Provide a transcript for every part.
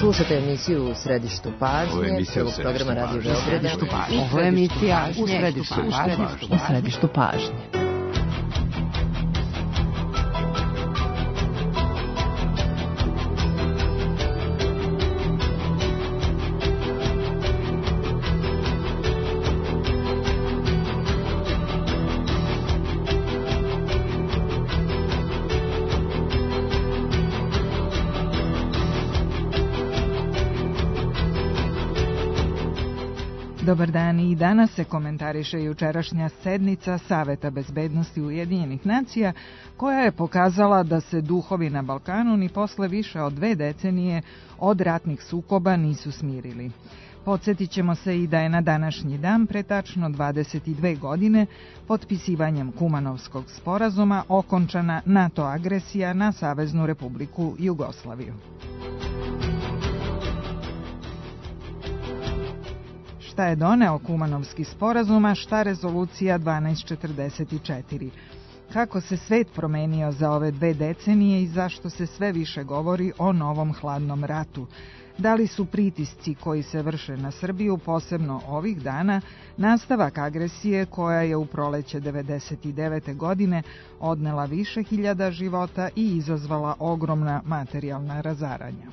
Slušate emisiju U središtu pažnje, prvog programa Radio Beograda. Ovo je emisija U središtu pažnje. Dobar dan, i danas se komentariše jučerašnja sednica Saveta bezbednosti Ujedinjenih nacija, koja je pokazala da se duhovi na Balkanu ni posle više od 2 decenije od ratnih sukoba nisu smirili. Podsjetit ćemo se i da je na današnji dan, pre tačno 22 godine, potpisivanjem Kumanovskog sporazuma okončana NATO agresija na Saveznu Republiku Jugoslaviju. Šta je doneo Kumanovski sporazum, a šta rezolucija 1244? Kako se svet promenio za ove 2 decenije i zašto se sve više govori o novom hladnom ratu? Da li su pritisci koji se vrše na Srbiju, posebno ovih dana, nastavak agresije koja je u proleće 1999. godine odnela više hiljada života i izazvala ogromna materijalna razaranja?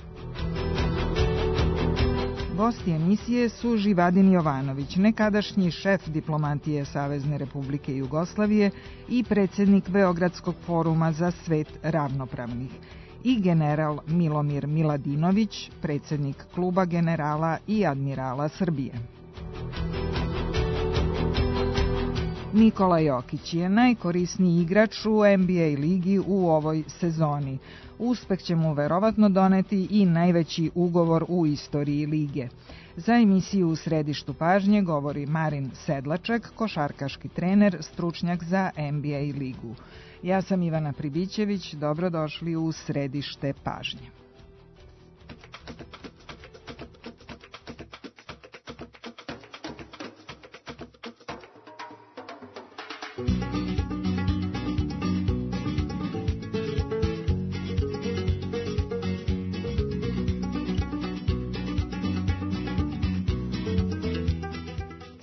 Gosti emisije su Živadin Jovanović, nekadašnji šef diplomatije Savezne Republike Jugoslavije i predsjednik Beogradskog foruma za svet ravnopravnih, i general Milomir Miladinović, predsjednik Kluba generala i admirala Srbije. Nikola Jokić je najkorisniji igrač u NBA ligi u ovoj sezoni. Uspeh će mu verovatno doneti i najveći ugovor u istoriji lige. Za emisiju U središtu pažnje govori Marin Sedlaček, košarkaški trener, stručnjak za NBA ligu. Ja sam Ivana Pribićević, dobrodošli u središte pažnje.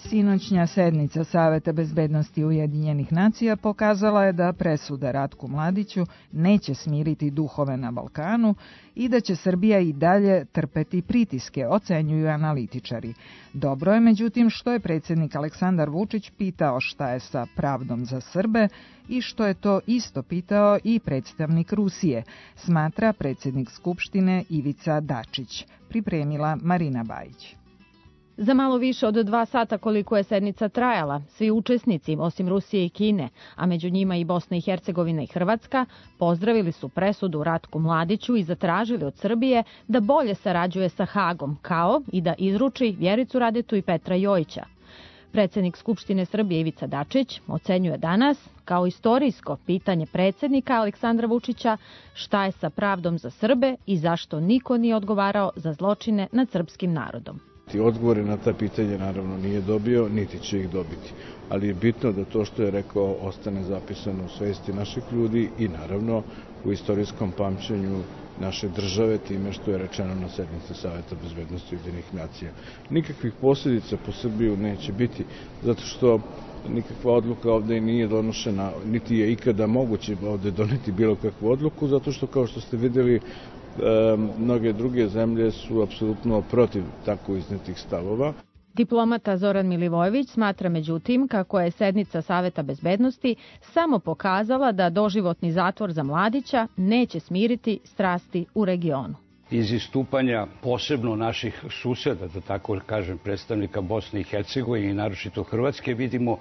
Sinoćnja sednica Saveta bezbednosti Ujedinjenih nacija pokazala je da presuda Ratku Mladiću neće smiriti duhove na Balkanu i da će Srbija i dalje trpeti pritiske, ocenjuju analitičari. Dobro je, međutim, što je predsjednik Aleksandar Vučić pitao šta je sa pravdom za Srbe i što je to isto pitao i predstavnik Rusije, smatra predsjednik Skupštine Ivica Dačić. Pripremila Marina Bajić. Za malo više od 2 sata koliko je sednica trajala, svi učesnici, osim Rusije i Kine, a među njima i Bosna i Hercegovina i Hrvatska, pozdravili su presudu Ratku Mladiću i zatražili od Srbije da bolje sarađuje sa Hagom, kao i da izruči Vjericu Radetu i Petra Jojića. Predsjednik Skupštine Srbije Ivica Dačić ocenjuje danas, kao istorijsko pitanje predsjednika Aleksandra Vučića, šta je sa pravdom za Srbe i zašto niko nije odgovarao za zločine nad srpskim narodom. Odgovore na ta pitanja naravno nije dobio, niti će ih dobiti. Ali je bitno da to što je rekao ostane zapisano u svesti naših ljudi i naravno u istorijskom pamćenju naše države time što je rečeno na sednici Saveta bezbednosti Ujedinjenih nacija. Nikakvih posljedica po Srbiju neće biti, zato što nikakva odluka ovde nije donošena, niti je ikada moguće ovde doneti bilo kakvu odluku, zato što, kao što ste vidjeli, mnoge druge zemlje su apsolutno protiv tako iznetih stavova. Diplomata Zoran Milivojević smatra međutim kako je sednica Saveta bezbednosti samo pokazala da doživotni zatvor za Mladića neće smiriti strasti u regionu. Iz istupanja posebno naših suseda, da tako kažem, predstavnika Bosne i Hercegovine i naročito Hrvatske, vidimo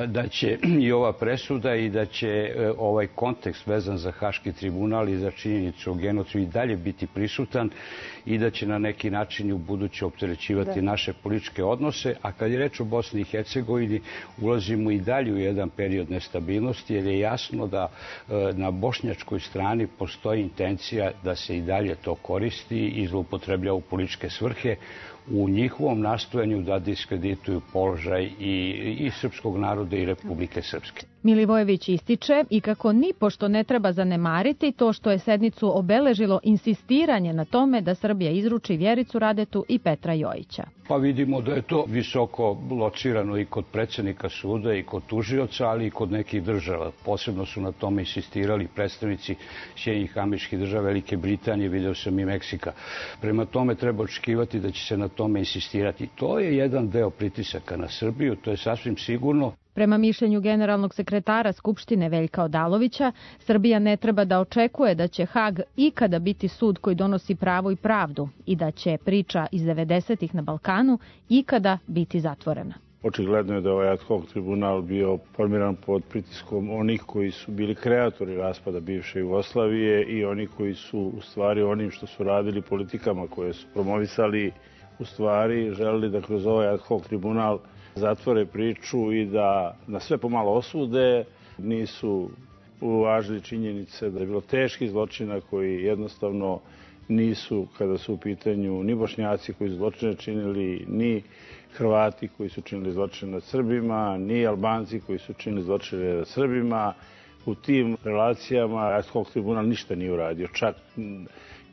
da će i ova presuda i da će ovaj kontekst vezan za Haški tribunal i za činjenicu o genocidu i dalje biti prisutan i da će na neki način u buduće opterećivati naše političke odnose. A kad je reč o Bosni i Hercegovini, ulazimo i dalje u jedan period nestabilnosti, jer je jasno da na bošnjačkoj strani postoji intencija da se i dalje to koristi i zloupotrebljava u političke svrhe u njihovom nastojanju da diskredituju položaj i srpskog naroda i Republike Srpske. Milivojević ističe i kako nipošto ne treba zanemariti to što je sednicu obeležilo insistiranje na tome da Srbija izruči Vjericu Radetu i Petra Jojića. Pa vidimo da je to visoko locirano i kod predsjednika suda i kod tužioca, ali i kod nekih država. Posebno su na tome insistirali predstavnici Sjedinjenih Američkih Država, Velike Britanije, video sam i Meksika. Prema tome treba očekivati da će se na tome insistirati. To je jedan deo pritisaka na Srbiju, to je sasvim sigurno. Prema mišljenju generalnog sekretara Skupštine Veljka Odalovića, Srbija ne treba da očekuje da će Hag ikada biti sud koji donosi pravo i pravdu i da će priča iz 90-ih na Balkanu ikada biti zatvorena. Očigledno je da ovaj ad hoc tribunal bio formiran pod pritiskom onih koji su bili kreatori raspada bivše Jugoslavije i oni koji su u stvari onim što su radili politikama koje su promovisali u stvari želeli da kroz ovaj ad hoc tribunal zatvore priču i da na sve pomalo osude. Nisu uvažili činjenice da je bilo teških zločina koji jednostavno nisu, kada su u pitanju ni Bošnjaci koji su zločine činili, ni Hrvati koji su činili zločine nad Srbima, ni Albanci koji su činili zločine nad Srbima. U tim relacijama ad hoc tribunal ništa nije uradio. Čak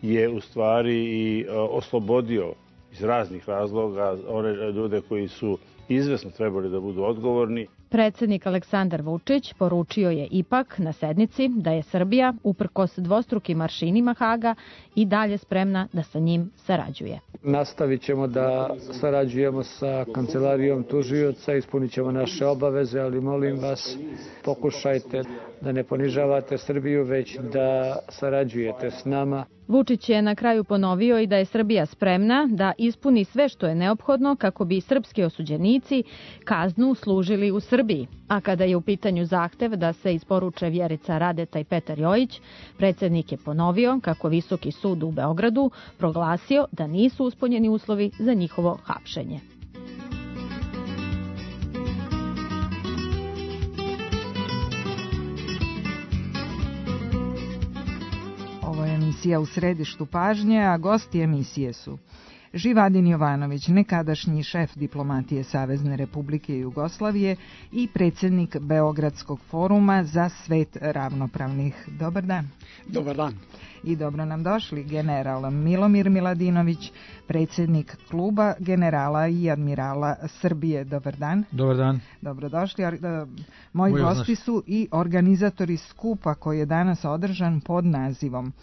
je u stvari i oslobodio iz raznih razloga one ljude koji su izvesno trebali da budu odgovorni. Predsjednik Aleksandar Vučić poručio je ipak na sednici da je Srbija, uprkos dvostrukim aršinima Haga, i dalje spremna da sa njim sarađuje. Nastavit ćemo da sarađujemo sa kancelarijom tužioca, ispunit ćemo naše obaveze, ali molim vas, pokušajte da ne ponižavate Srbiju, već da sarađujete s nama. Vučić je na kraju ponovio i da je Srbija spremna da ispuni sve što je neophodno kako bi srpski osuđenici kaznu služili u Srbiji. A kada je u pitanju zahtev da se isporuče Vjerica Radeta i Petar Jojić, predsjednik je ponovio kako Visoki sud u Beogradu proglasio da nisu ispunjeni uslovi za njihovo hapšenje. Ovo je emisija U središtu pažnje, a gosti emisije su Živadin Jovanović, nekadašnji šef diplomatije Savezne Republike Jugoslavije i predsjednik Beogradskog foruma za svet ravnopravnih. Dobar dan. Dobar dan. I dobro nam došli general Milomir Miladinović, predsjednik kluba generala i admirala Srbije. Dobar dan. Dobar dan. Dobrodošli. Moji gosti su i organizatori skupa koji je danas održan pod nazivom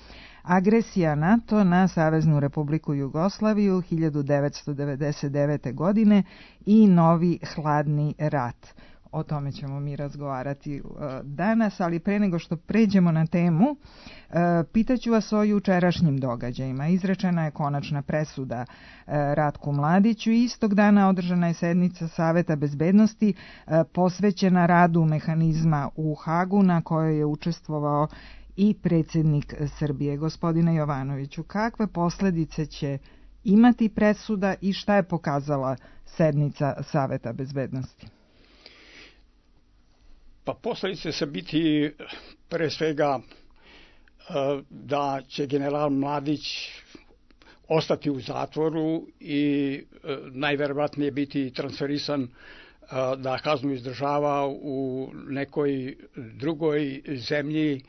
Agresija NATO na Saveznu Republiku Jugoslaviju 1999. godine i novi hladni rat. O tome ćemo mi razgovarati danas, ali pre nego što pređemo na temu, pitaću vas o jučerašnjim događajima. Izrečena je konačna presuda Ratku Mladiću i istog dana održana je sednica Saveta bezbednosti posvećena radu mehanizma u Hagu na kojoj je učestvovao i predsjednik Srbije. Gospodine Jovanoviću, kakve posljedice će imati presuda i šta je pokazala sednica Saveta bezbednosti? Pa posljedice će biti pre svega da će general Mladić ostati u zatvoru i najverovatnije biti transferisan da kaznu izdržava u nekoj drugoj zemlji,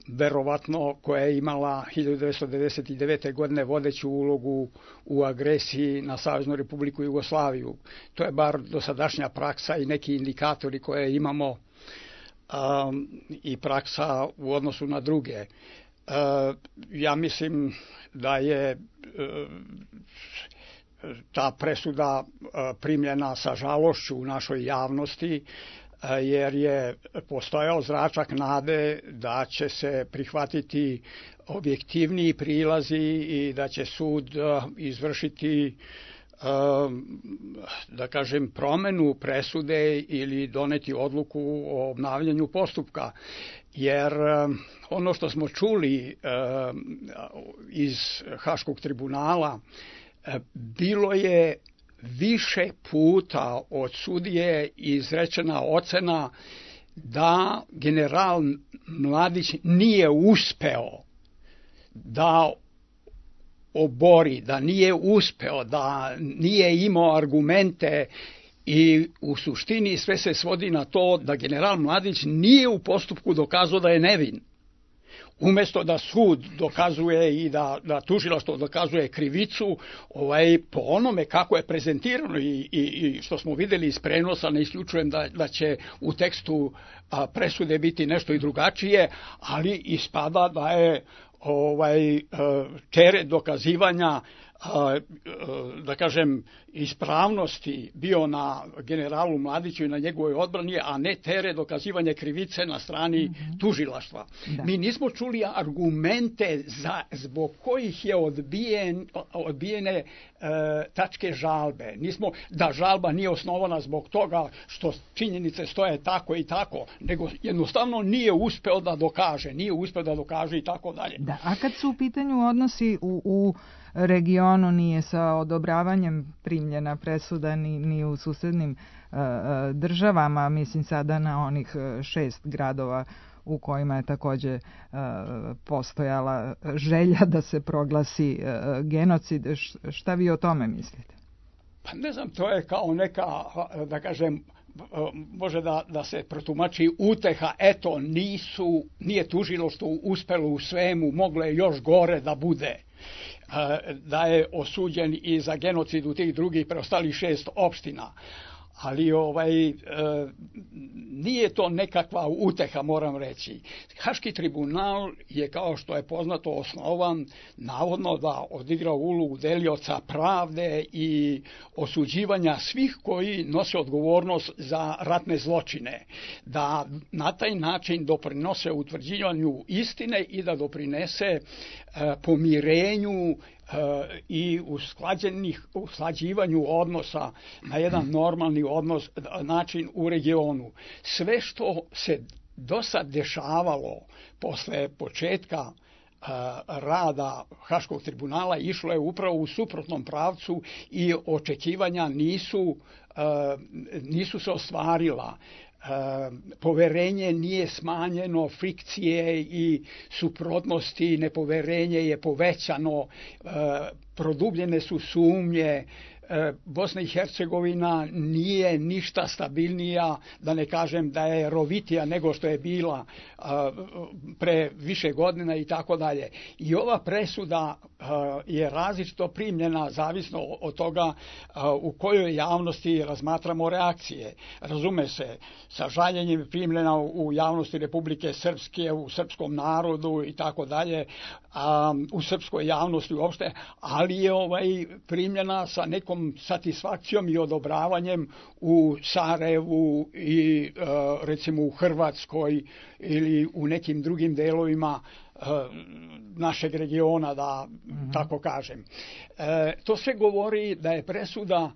verovatno koja je imala 1999. godine vodeću ulogu u agresiji na Saveznu Republiku Jugoslaviju. To je bar dosadašnja praksa i neki indikatori koje imamo i praksa u odnosu na druge. Ja mislim da je ta presuda primljena sa žalošću u našoj javnosti, jer je postojao zračak nade da će se prihvatiti objektivniji prilazi i da će sud izvršiti, da kažem, promenu presude ili doneti odluku o obnavljanju postupka. Jer ono što smo čuli iz Haškog tribunala, bilo je više puta od sudije izrečena ocena da general Mladić nije uspeo da obori, da nije uspeo, da nije imao argumente I u suštini sve se svodi na to da general Mladić nije u postupku dokazao da je nevin. Umesto da sud dokazuje i da tužilaštvo dokazuje krivicu, po onome kako je prezentirano i što smo videli iz prenosa, ne isključujem da će u tekstu presude biti nešto i drugačije, ali ispada da je teret dokazivanja, da kažem, ispravnosti bio na generalu Mladiću i na njegovoj odbrani, a ne teret dokazivanja krivice na strani tužilaštva. Da. Mi nismo čuli argumente zbog kojih je odbijene tačke žalbe. Da žalba nije osnovana zbog toga što činjenice stoje tako i tako, nego jednostavno nije uspeo da dokaže i tako dalje. Da, a kad su u pitanju odnosi u regionu, nije sa odobravanjem primljena presuda ni u susednim državama, mislim sada na onih 6 gradova u kojima je takođe postojala želja da se proglasi genocid. Šta vi o tome mislite? Pa ne znam, to je kao neka, da kažem, može da se protumači uteha, eto, nije tužilaštvo uspelo u svemu, moglo je još gore da bude. Da je osuđen i za genocid u tih drugih preostalih 6 opština. Ali nije to nekakva uteha, moram reći. Haški tribunal je, kao što je poznato, osnovan navodno da odigra ulogu delioca pravde i osuđivanja svih koji nose odgovornost za ratne zločine. Da na taj način doprinose utvrđivanju istine i da doprinese pomirenju i usklađivanju odnosa na jedan normalni način u regionu. Sve što se do sad dešavalo posle početka rada Haškog tribunala išlo je upravo u suprotnom pravcu i očekivanja nisu se ostvarila. Poverenje nije smanjeno, frikcije i suprotnosti, nepoverenje je povećano, produbljene su sumnje. Bosna i Hercegovina nije ništa stabilnija, da ne kažem da je rovitija nego što je bila pre više godina i tako dalje. I ova presuda je različito primljena zavisno od toga u kojoj javnosti razmatramo reakcije. Razume se, sa žaljenjem je primljena u javnosti Republike Srpske, u srpskom narodu i tako dalje, u srpskoj javnosti uopšte, ali je primljena sa nekom satisfakcijom i odobravanjem u Sarajevu i recimo u Hrvatskoj ili u nekim drugim delovima našeg regiona, da tako kažem. To sve govori da je presuda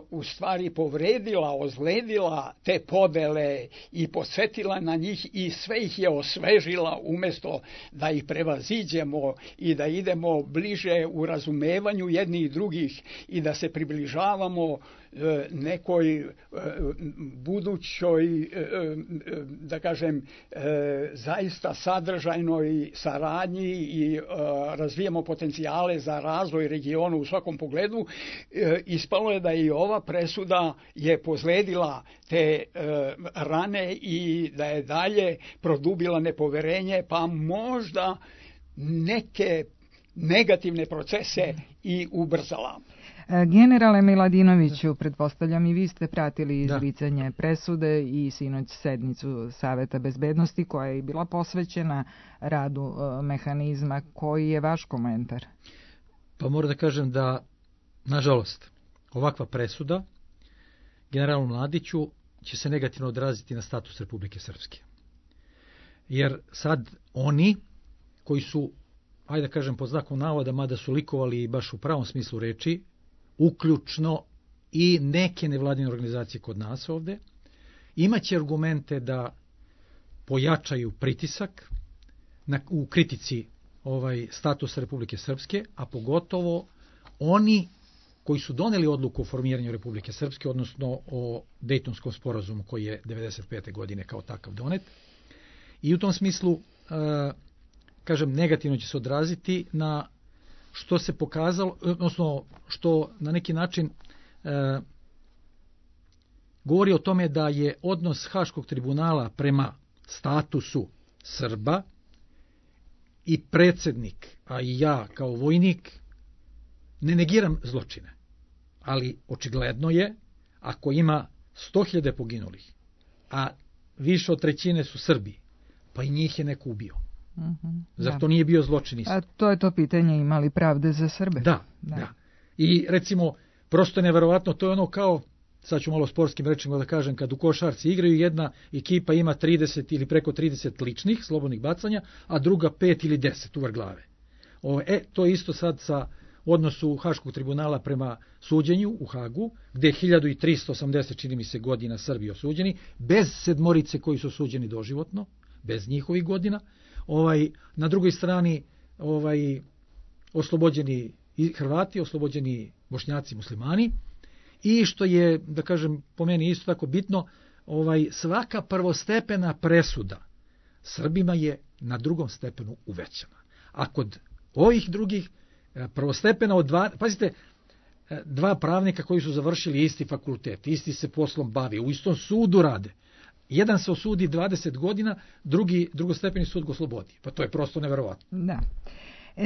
u stvari povredila, ozledila te podele i podsjetila na njih i sve ih je osvežila umjesto da ih prevaziđemo i da idemo bliže u razumevanju jednih i drugih i da se približavamo nekoj budućoj, da kažem, zaista sadržajnoj saradnji i razvijemo potencijale za razvoj regionu u svakom pogledu. Ispalo je da i ova presuda je pozledila te rane i da je dalje produbila nepoverenje, pa možda neke negativne procese i ubrzala. Generale Miladinoviću, pretpostavljam i vi ste pratili izricanje presude i sinoć sednicu Saveta bezbednosti koja je bila posvećena radu mehanizma. Koji je vaš komentar? Pa moram da kažem da, nažalost, ovakva presuda generalu Mladiću će se negativno odraziti na status Republike Srpske. Jer sad oni koji su, ajde da kažem pod znakom navoda, mada su likovali baš u pravom smislu reči, uključno i neke nevladine organizacije kod nas ovde, imaće argumente da pojačaju pritisak u kritici statusa Republike Srpske, a pogotovo oni koji su doneli odluku o formiranju Republike Srpske, odnosno o Dejtonskom sporazumu koji je 1995. godine kao takav donet. I u tom smislu, kažem, negativno će se odraziti na što se pokazalo, odnosno što na neki način govori o tome da je odnos Haškog tribunala prema statusu Srba i predsjednik, a i ja kao vojnik, ne negiram zločine. Ali očigledno je, ako ima 100.000 poginulih, a više od trećine su Srbi, pa i njih je neko ubio. Zar to nije bio zločin isto? A to je to pitanje, imali pravde za Srbe? Da. I recimo, prosto je neverovatno, to je ono kao, sad ću malo sportskim rečima da kažem, kad u košarci igraju, jedna ekipa ima 30 ili preko 30 ličnih slobodnih bacanja, a druga 5 ili 10 uvar glave. To je isto sad sa odnosu Haškog tribunala prema suđenju u Hagu, gde je 1380, čini mi se, godina Srbi osuđeni, bez 7 koji su osuđeni doživotno, bez njihovih godina. Na drugoj strani oslobođeni Hrvati, oslobođeni Bošnjaci, muslimani, i što je, da kažem, po meni isto tako bitno, svaka prvostepena presuda Srbima je na drugom stepenu uvećana. A kod ovih drugih prvostepena od pazite, 2 pravnika koji su završili isti fakultet, isti se poslom bavi, u istom sudu rade. Jedan se osudi 20 godina, drugostepeni sud ga oslobodi. Pa to je prosto neverovatno. Da.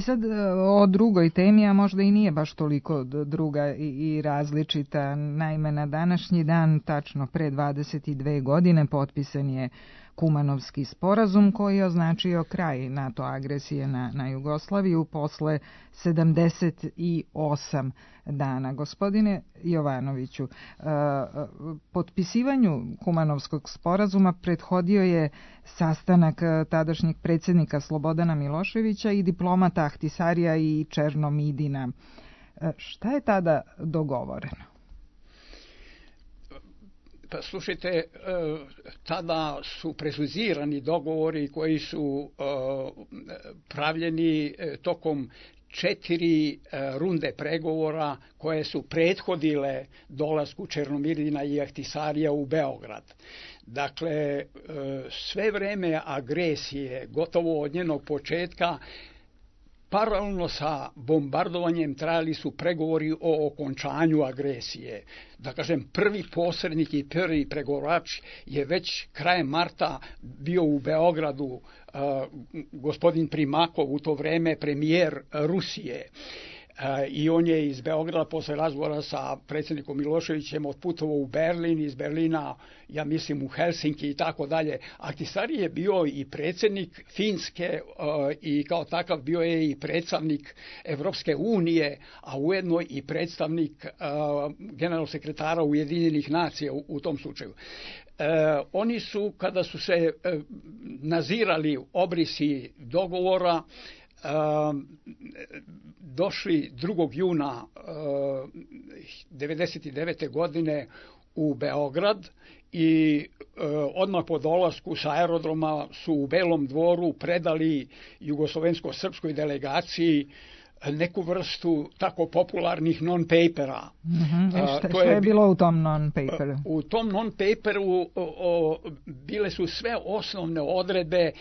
Sad o drugoj temi, a možda i nije baš toliko druga i različita. Naime, na današnji dan, tačno pre 22 godine, potpisan je Kumanovski sporazum koji je označio kraj NATO agresije na Jugoslaviju posle 78 dana. Gospodine Jovanoviću, potpisivanju Kumanovskog sporazuma prethodio je sastanak tadašnjeg predsjednika Slobodana Miloševića i diplomata Ahtisarija i Černomidina. Šta je tada dogovoreno? Pa slušajte, tada su precizirani dogovori koji su pravljeni tokom 4 runde pregovora koje su prethodile dolasku Černomidina i Ahtisarija u Beograd. Dakle, sve vreme agresije, gotovo od njenog početka, paralelno sa bombardovanjem trajali su pregovori o okončanju agresije. Da kažem, prvi posrednik i prvi pregovarač je već krajem marta bio u Beogradu, gospodin Primakov, u to vreme premijer Rusije. I on je iz Beograda posle razgovora sa predsjednikom Miloševićem otputovao u Berlin, iz Berlina, ja mislim, u Helsinki i tako dalje. Ahtisari je bio i predsjednik Finske i kao takav bio je i predstavnik Evropske unije, a ujedno i predstavnik generalnog sekretara Ujedinjenih nacija u tom slučaju. Oni su, kada su se nazirali obrisi dogovora, došli 2. juna 1999. godine u Beograd i odmah po dolasku sa aerodroma su u Belom dvoru predali jugoslovensko-srpskoj delegaciji neku vrstu tako popularnih non-papera. Što je bilo u tom non-paperu? U tom non-paperu bile su sve osnovne odredbe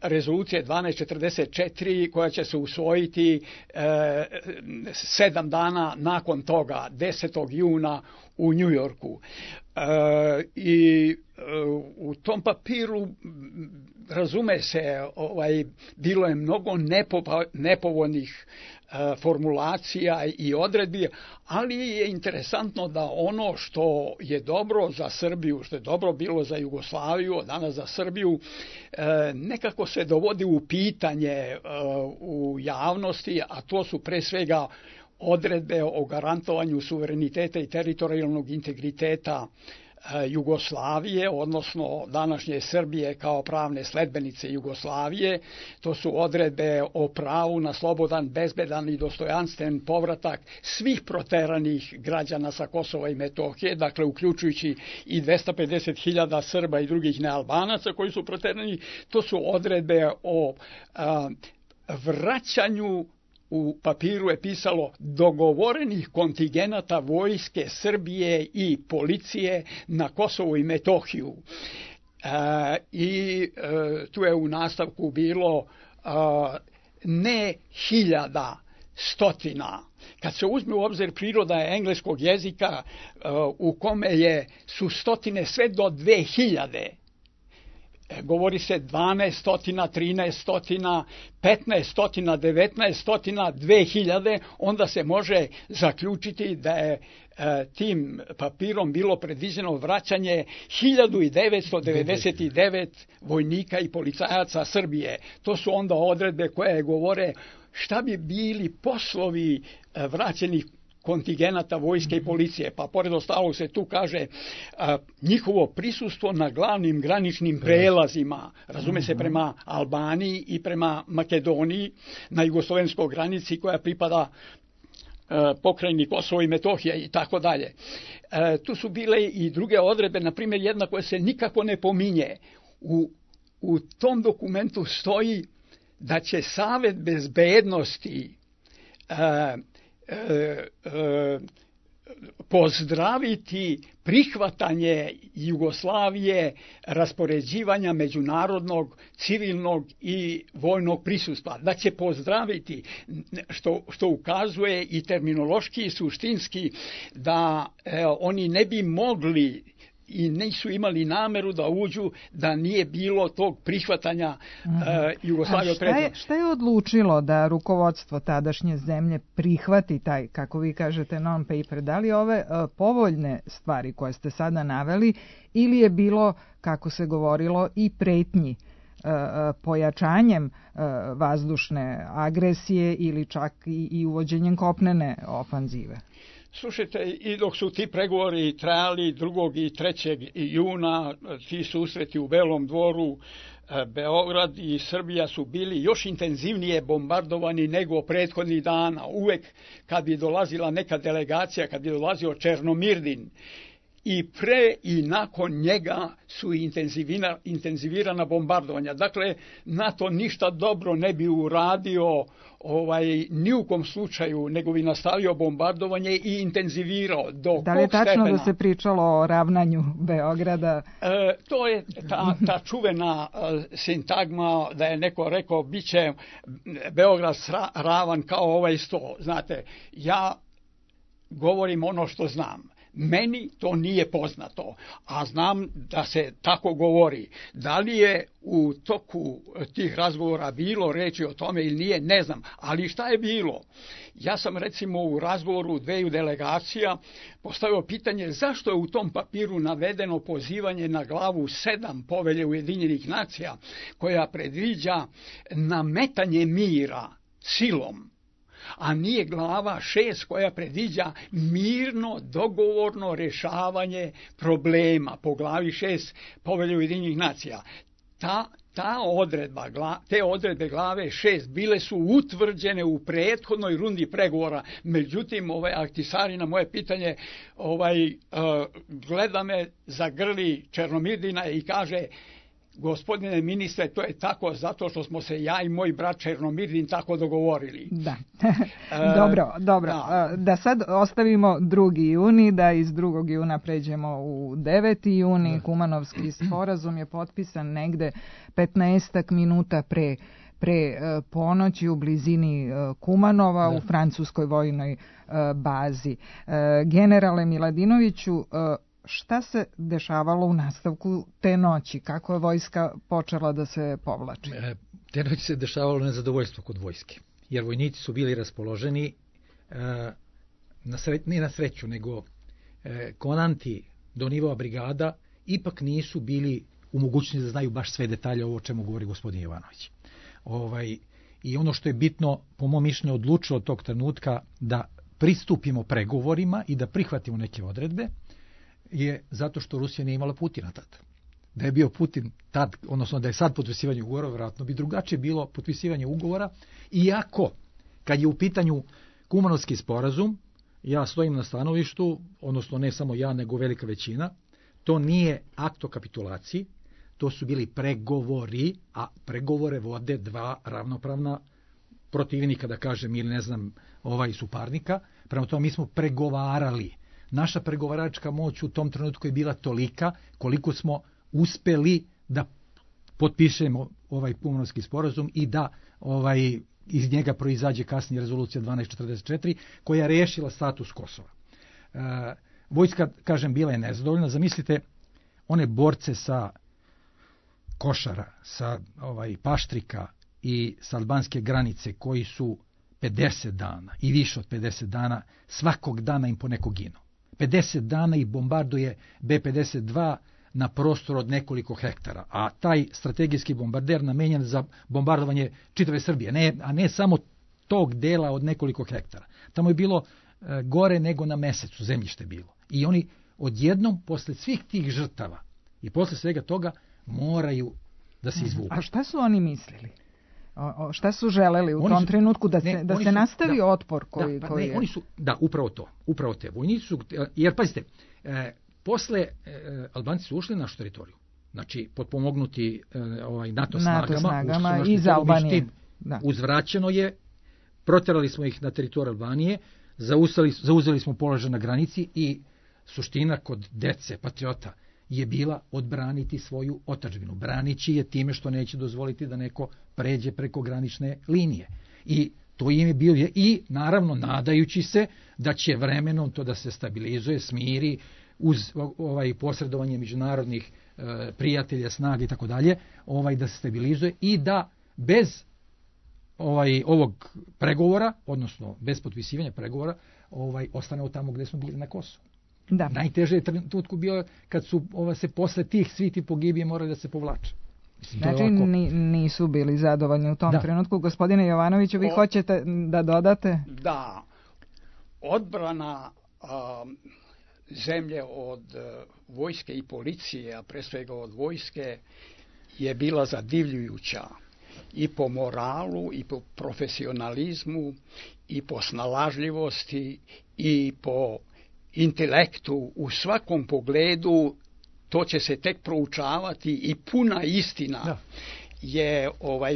rezolucije 1244 koja će se usvojiti 7 dana nakon toga, 10. juna u Njujorku. I u tom papiru, razume se, bilo je mnogo nepovoljnih formulacija i odredbi, ali je interesantno da ono što je dobro za Srbiju, što je dobro bilo za Jugoslaviju, danas za Srbiju, nekako se dovodi u pitanje u javnosti, a to su pre svega odredbe o garantovanju suvereniteta i teritorijalnog integriteta Jugoslavije, odnosno današnje Srbije kao pravne sledbenice Jugoslavije. To su odredbe o pravu na slobodan, bezbedan i dostojanstven povratak svih proteranih građana sa Kosova i Metohije, dakle uključujući i 250.000 Srba i drugih nealbanaca koji su proterani. To su odredbe o vraćanju, u papiru je pisalo, dogovorenih kontingenata vojske Srbije i policije na Kosovo i Metohiju. I tu je u nastavku bilo ne 1000 stotina. Kad se uzme u obzir priroda engleskog jezika u kome su stotine sve do 2000, govori se 12 stotina, 13 stotina, 15 stotina, 19 stotina, 2000, onda se može zaključiti da je tim papirom bilo predviđeno vraćanje 1999 vojnika i policajaca Srbije. To su onda odredbe koje govore šta bi bili poslovi vraćenih kontingenata vojske i policije. Pa pored ostalog se tu kaže njihovo prisustvo na glavnim graničnim prelazima, razume se prema Albaniji i prema Makedoniji, na jugoslovenskoj granici koja pripada pokrajini Kosovo i Metohija i tako dalje. Tu su bile i druge odredbe, na primjer jedna koja se nikako ne pominje. U tom dokumentu stoji da će Savet bezbednosti pozdraviti prihvatanje Jugoslavije raspoređivanja međunarodnog, civilnog i vojnog prisustva. Da će pozdraviti, što ukazuje i terminološki i suštinski, da oni ne bi mogli i nisu imali nameru da uđu da nije bilo tog prihvatanja Jugoslavije od prethodnog. Šta je odlučilo da rukovodstvo tadašnje zemlje prihvati taj, kako vi kažete, non-paper? Da li ove povoljne stvari koje ste sada naveli ili je bilo, kako se govorilo, i pretnji pojačanjem vazdušne agresije ili čak i uvođenjem kopnene ofanzive? Slušajte, i dok su ti pregovori trajali 2. i 3. juna, ti susreti u Belom dvoru, Beograd i Srbija su bili još intenzivnije bombardovani nego prethodnih dana. Uvek kad bi dolazila neka delegacija, kad bi dolazio Černomirdin, i pre i nakon njega su intenzivirana bombardovanja. Dakle, NATO ništa dobro ne bi uradio ni u kom slučaju, nego bi nastavio bombardovanje i intenzivirao. Da li je tačno da se pričalo o ravnanju Beograda? To je ta čuvena sintagma da je neko rekao bit će Beograd ravan kao ovaj sto. Znate, ja govorim ono što znam. Meni to nije poznato, a znam da se tako govori. Da li je u toku tih razgovora bilo reči o tome ili nije, ne znam. Ali šta je bilo? Ja sam recimo u razgovoru dveju delegacija postavio pitanje zašto je u tom papiru navedeno pozivanje na glavu 7 Povelje Ujedinjenih nacija koja predviđa nametanje mira silom, a nije glava 6 koja predviđa mirno, dogovorno rješavanje problema po glavi 6 Povelje Ujedinjenih nacija. Te odredbe glave 6 bile su utvrđene u prethodnoj rundi pregovora. Međutim, Ahtisari na moje pitanje gleda me, zagrli Černomirdina i kaže: gospodine ministre, to je tako zato što smo se ja i moj brat Černomirdin tako dogovorili. Da. Dobro. Da sad ostavimo 2. juni, da iz 2. juna pređemo u 9. juni. Kumanovski sporazum je potpisan negde 15 minuta pre ponoći u blizini Kumanova u francuskoj vojnoj bazi. Generale Miladinoviću, šta se dešavalo u nastavku te noći? Kako je vojska počela da se povlači? Te noći se dešavalo nezadovoljstvo kod vojske, jer vojnici su bili raspoloženi, ne na sreću, nego komandanti do nivoa brigada ipak nisu bili u mogućnosti da znaju baš sve detalje ovo o čemu govori gospodin Jovanović. I ono što je bitno, po mom mišljenju, odlučilo od tog trenutka da pristupimo pregovorima i da prihvatimo neke odredbe, je zato što Rusija nije imala Putina tad. Da je bio Putin tad, odnosno da je sad potpisivanje ugovora, vjerojatno bi drugačije bilo potpisivanje ugovora, iako kad je u pitanju Kumanovski sporazum, ja stojim na stanovištu, odnosno ne samo ja, nego velika većina, to nije akt o kapitulaciji, to su bili pregovori, a pregovore vode 2 ravnopravna protivnika, da kažem, ili ne znam, suparnika. Prema tome mi smo pregovarali. Naša pregovaračka moć u tom trenutku je bila tolika koliko smo uspeli da potpišemo ovaj Kumanovski sporazum i da iz njega proizađe kasnije rezolucija 1244 koja je rešila status Kosova. Vojska, kažem, bila je nezadovoljna. Zamislite one borce sa Košara, sa Paštrika i sa albanske granice koji su 50 dana i više od 50 dana, svakog dana im po neko ginu. 50 dana ih bombarduje B-52 na prostor od nekoliko hektara, a taj strategijski bombarder namenjen za bombardovanje čitave Srbije, a ne samo tog dela od nekoliko hektara. Tamo je bilo gore nego na Mesecu, zemljište bilo. I oni odjednom, posle svih tih žrtava i posle svega toga, moraju da se izvuku. A šta su oni mislili? Šta su želeli u tom trenutku? Da se nastavi otpor koji je... Oni su, upravo te vojnici su, jer pazite, posle Albanci su ušli na našu teritoriju, znači potpomognuti NATO snagama iz Albanije. Uzvraćeno je, proterali smo ih na teritoriju Albanije, zauzeli smo položaj na granici i suština kod dece, patriota, je bila odbraniti svoju otadžbinu. Branići je time što neće dozvoliti da neko pređe preko granične linije. I to im je bio, i naravno nadajući se da će vremenom to da se stabilizuje, smiri, uz posredovanje međunarodnih prijatelja, snaga i tako dalje, da se stabilizuje i da bez ovog pregovora, odnosno bez potpisivanja pregovora, ostanemo tamo gde smo bili na Kosovu. Da. Najteže je trenutku bio kad su se posle tih svi ti pogibije morali da se povlače. Znači nisu bili zadovoljni u tom trenutku. Gospodine Jovanoviću, vi hoćete da dodate? Da, odbrana zemlje od vojske i policije, a pre svega od vojske, je bila zadivljujuća i po moralu, i po profesionalizmu, i po snalažljivosti, i po intelektu. U svakom pogledu to će se tek proučavati i puna istina je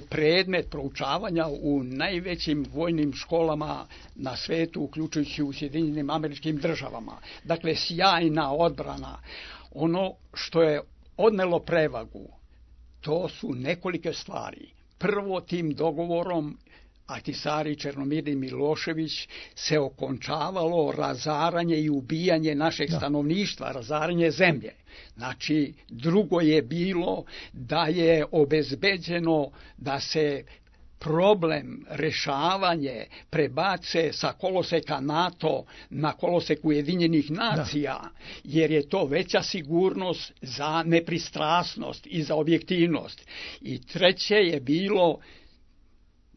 predmet proučavanja u najvećim vojnim školama na svetu, uključujući u Sjedinjenim Američkim Državama. Dakle, sjajna odbrana. Ono što je odnelo prevagu, to su nekolike stvari. Prvo, tim dogovorom Ahtisaari, Černomir i Milošević se okončavalo razaranje i ubijanje našeg stanovništva, razaranje zemlje. Znači, drugo je bilo da je obezbeđeno da se problem rešavanje prebace sa koloseka NATO na kolosek Ujedinjenih nacija, jer je to veća sigurnost za nepristrasnost i za objektivnost. I treće je bilo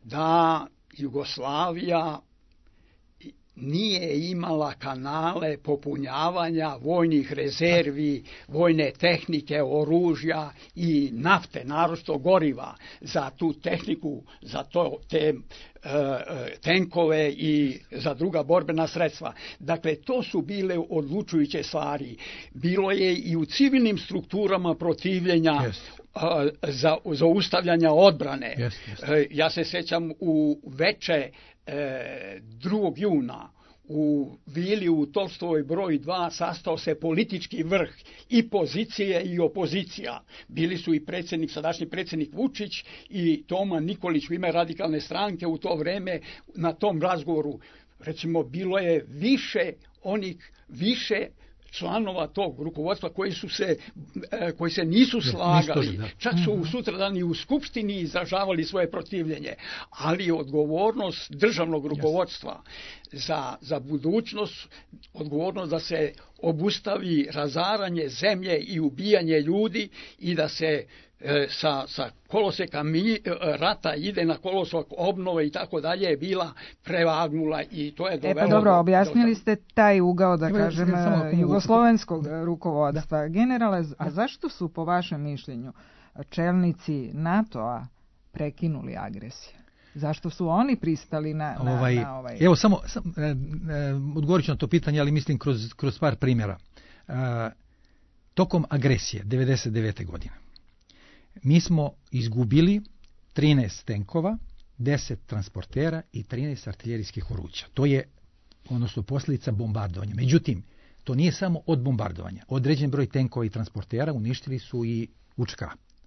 da Jugoslavija nije imala kanale popunjavanja vojnih rezervi, vojne tehnike, oružja i nafte, naročito goriva za tu tehniku, za te tenkove i za druga borbena sredstva. Dakle, to su bile odlučujuće stvari. Bilo je i u civilnim strukturama protivljenja za zaustavljanja odbrane. Ja se sećam u veče 2. juna u vili u Tolstovoj broj 2 sastao se politički vrh i pozicije i opozicija. Bili su i sadašnji predsjednik Vučić i Toma Nikolić u ime Radikalne stranke u to vreme na tom razgovoru. Recimo, bilo je više članova tog rukovodstva koji se nisu slagali. Čak su sutradan i u Skupštini izražavali svoje protivljenje. Ali odgovornost državnog rukovodstva za budućnost, odgovornost da se obustavi razaranje zemlje i ubijanje ljudi i da se sa koloseka rata ide na kolosek obnove i tako dalje je bila prevagnula i to je dovelo... dobro, objasnili ste taj ugao, da kažem, jugoslovenskog rukovodstva. Generale, a zašto su po vašem mišljenju čelnici NATO-a prekinuli agresiju? Zašto su oni pristali na ovaj... Evo, samo odgovorit ću na to pitanje, ali mislim kroz par primjera. Tokom agresije 1999. godine mi smo izgubili 13 tenkova, 10 transportera i 13 artiljerijskih oruđa. To je posljedica bombardovanja. Međutim, to nije samo od bombardovanja. Određen broj tenkova i transportera uništili su i UČK,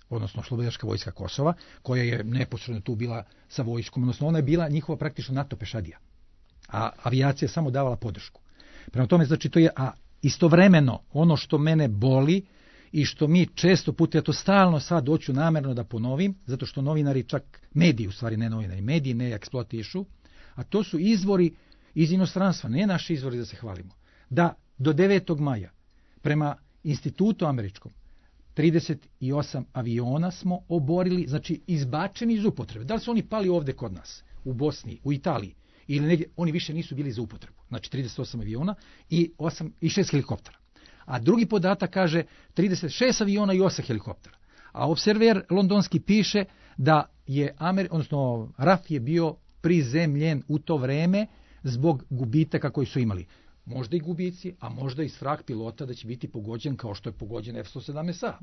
odnosno Oslobodilačka vojska Kosova, koja je neposredno tu bila sa vojskom, odnosno ona je bila njihova praktično NATO pešadija, a avijacija je samo davala podršku. Prema tome, znači, to je, a istovremeno, ono što mene boli i što mi često puta, ja to stalno sad hoću namerno da ponovim, zato što novinari, čak mediji, u stvari ne novinari, mediji ne eksploatišu, a to su izvori iz inostranstva, ne naši izvori da se hvalimo, da do 9. maja prema institutu američkom 38 aviona smo oborili, znači izbačeni iz upotrebe. Da li su oni pali ovde kod nas, u Bosni, u Italiji, ili negdje, oni više nisu bili za upotrebu. Znači 38 aviona i 6 helikoptera. A drugi podatak kaže 36 aviona i 8 helikoptera. A Observer londonski piše da je odnosno RAF je bio prizemljen u to vreme zbog gubitaka koji su imali. Možda i gubici, a možda i strah pilota da će biti pogođen kao što je pogođen F-117A.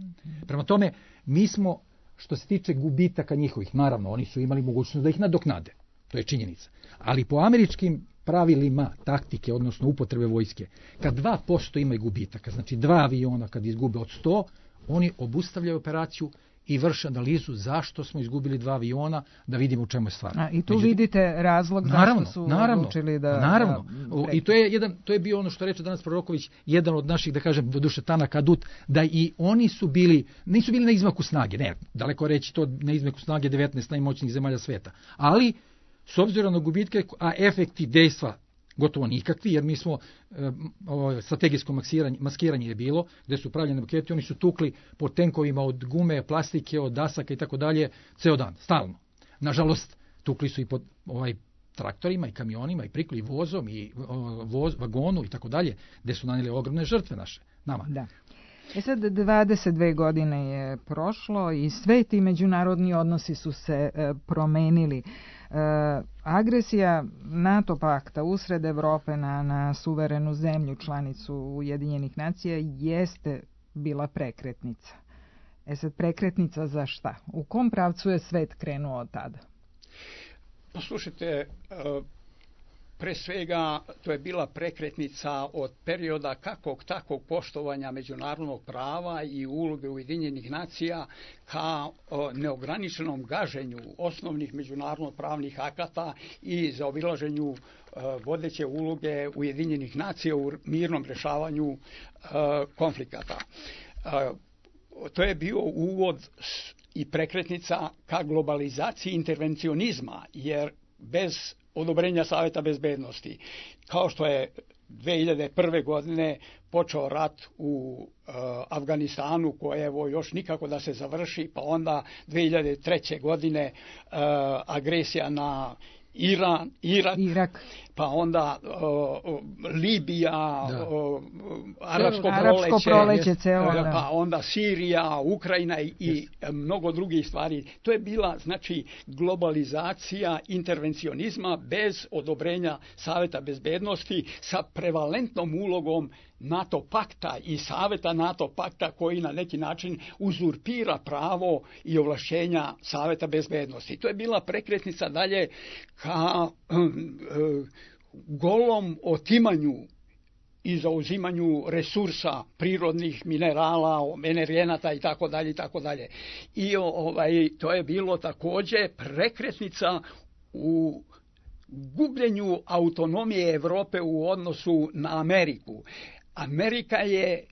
Prema tome, mi smo, što se tiče gubitaka njihovih, naravno, oni su imali mogućnost da ih nadoknade. To je činjenica. Ali po američkim pravilima taktike, odnosno upotrebe vojske, kad 2% imaju gubitaka, znači 2 aviona kad izgube od 100, oni obustavljaju operaciju i vrše analizu zašto smo izgubili 2 aviona, da vidimo u čemu je stvar. I tu vidite razlog zašto su odlučili da... Naravno. I to je bio ono što reče danas Proroković, jedan od naših, da kažem, doduše Tanak Adut, da i oni su bili, nisu bili na izmaku snage, ne, daleko reći to na izmaku snage 19 najmoćnijih zemalja sveta, ali s obzirom na gubitke, a efekti dejstva gotovo nikakvi, jer mi smo, strategijsko maskiranje je bilo, gde su pravljene maketi, oni su tukli po tenkovima od gume, plastike, od dasaka i tako dalje, ceo dan, stalno. Nažalost, tukli su i po traktorima i kamionima i prikli vozom i vagonu i tako dalje, gde su nanijeli ogromne žrtve naše, nama. Da. Sad 22 godine je prošlo i sve ti međunarodni odnosi su se promenili. Agresija NATO pakta usred Evrope na suverenu zemlju, članicu Ujedinjenih nacija, jeste bila prekretnica. Sad prekretnica za šta? U kom pravcu je svet krenuo od tada? Poslušajte, pre svega to je bila prekretnica od perioda kakvog takvog poštovanja međunarodnog prava i uloge Ujedinjenih nacija ka neograničenom gaženju osnovnih međunarodno pravnih akata i zaobilaženju vodeće uloge Ujedinjenih nacija u mirnom rešavanju konflikata. To je bio uvod i prekretnica ka globalizaciji intervencionizma, jer bez odobrenja Saveta bezbednosti, kao što je 2001. godine počeo rat u Afganistanu, koje evo još nikako da se završi, pa onda 2003. godine agresija na Irak, pa onda Libija, Arapsko proleće, pa onda Sirija, Ukrajina i mnogo drugih stvari. To je bila, znači, globalizacija intervencionizma bez odobrenja Saveta bezbednosti sa prevalentnom ulogom NATO pakta i Saveta NATO pakta, koji na neki način uzurpira pravo i ovlašćenja Saveta bezbednosti. To je bila prekretnica dalje ka golom otimanju i zauzimanju resursa, prirodnih minerala, energenata i tako dalje i tako dalje. I to je bilo takođe prekretnica u gubljenju autonomije Evrope u odnosu na Ameriku. Amerika je,